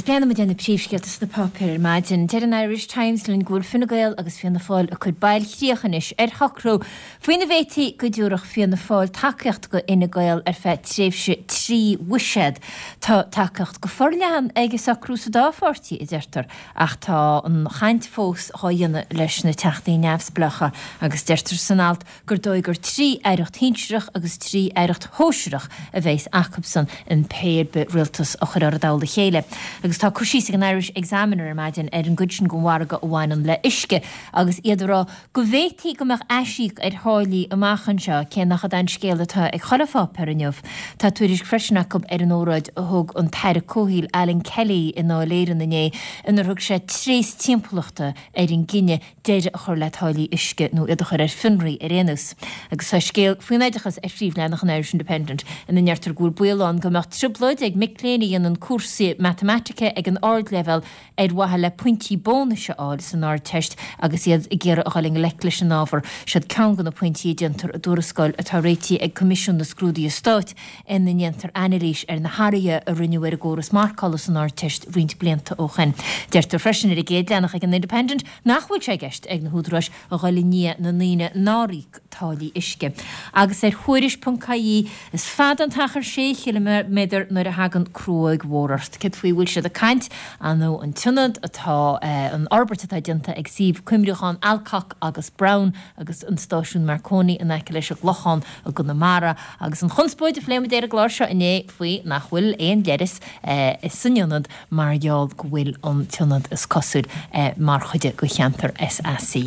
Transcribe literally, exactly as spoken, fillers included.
breathnaíonn muid ar na príomhscéalta sna páipéir ar maidin. Deir an Irish Times linn go bhfuil Fine Gael agus Fianna Fáil ag cur bailchríoch anois ar shocrú faoina bhféadfaí go dtabharfadh Fianna Fáil tacaíocht go Fhine Gael ar feadh tréimhse trí bhuiséad. Tá tacaíocht go forleathan ag an socrú sa dá pháirtí, a deirtear, ach tá an chaint fós á dhéanamh leis na teachtaí neamhspleácha agus deirtear san alt gur dóigh gur trí aireacht shinsearach agus trí aireacht shóisearach a bheas acusan in pé ar bith rialtas a chuirfear i dtoll a chéile. Agus tá cur síos ag an Irish Examiner ar maidin ar an gcuid sin den mhargadh a bhaineann le uisce agus iad ag rá go bhféadfaí go mbeadh aisíoc ar tháillí amach anseo, cé nach é an scéal atá ag chuile pháipéar inniu. Tá tuairisc freisin acu ar an óráid a thug an tAire Comhshaoil Alan Kelly i nDáil Éireann inné inar thug sé tréas timpeallachta ar an gcinneadh deireadh a chur le táillí uisce nó iad a chur ar fionraí ar aon nós. Agus tá scéal faoin oideachas ar phríomhleathanach an Irish Independent ina ndeirtear go bhfuil baol ann go mbeadh trioblóid ag mic léinn a dhéanann cúrsaí matamaitice ag an ardleibhéal ar mhaithe le pointí bónais a fháil san Ardteist agus iad ag iarraidh a dhul i ngleic leis an ábhar. Siod ceann de na pointí a déantar i dtuarascáil atá réitithe ag Coimisiún na Scrúduithe Stáit ina ndéantar anailís ar na hathruithe a rinneadh ar an gcóras marcála san Ardteist roinnt blianta ó shin. Deirtear freisin ar an gcéad leathanach ag an Independent nach bhfuil sé i gceist ag na húdaráis a dhul i ndiaidh na ndaoine nár íoc táillí uisce. Agus ar Thuairisc.ie, is fada an t-achar sé chiliméadar nuair a thagann cruóg mhór ort. Céard faoi a bhfuil siad ag caint? Ar ndóigh an t-ionad atá, an fhorbairt atá déanta ag suíomh cuimriúcháin Alcock agus Brown agus an stáisiún Marconi in aice leis an gClochán i gConamara agus an chonspóid a phléigh muid ar an gclár seo inné faoi nach bhfuil aon leithreas san ionad mar gheall go bhfuil an t-ionad is cosúil mar chuid de cheantar SAC.